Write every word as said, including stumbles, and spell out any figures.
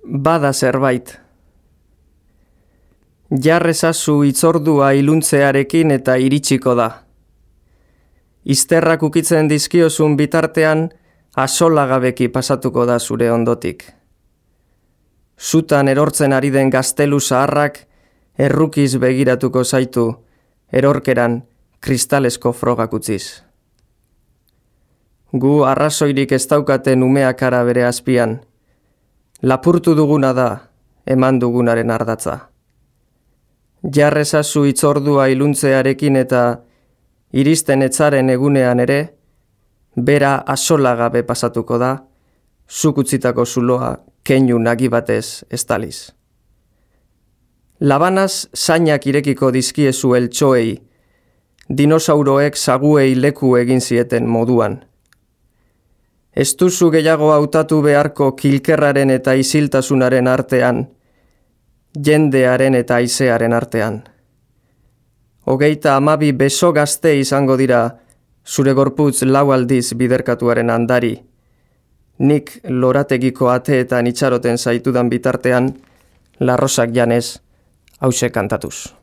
bada zerbait. Jarrezazu itzordua iluntzearekin eta iritsiko da. Izterrak ukitzen dizkiozun bitartean, asolagabeki pasatuko da zure ondotik. Zutan erortzen ari den gaztelu zaharrak errukiz begiratuko zaitu, erorkeran kristalesko frogak utziz. Gu arrazoirik ez daukaten umeak ara bere azpian. Lapurtu duguna da, eman dugunaren ardatza. Jarrezazu itzordua iluntzearekin eta iristen etzaren egunean ere, bera asolagabe pasatuko da, zuk utzitako zuloa keinu nagi batez estaliz. Labanaz zainak irekiko dizkiezu eltxoei, dinosauroek zaguei leku egin zieten moduan. Ez duzu gehiago hautatu beharko kilkerraren eta isiltasunaren artean, jendearen eta haizearen artean. Hogeita amabi beso gazte izango dira zure gorputz lau aldiz biderkatuaren andari. Nik lorategiko ateetan itxaroten zaitudan bitartean, larrosak janez, hause kantatuz.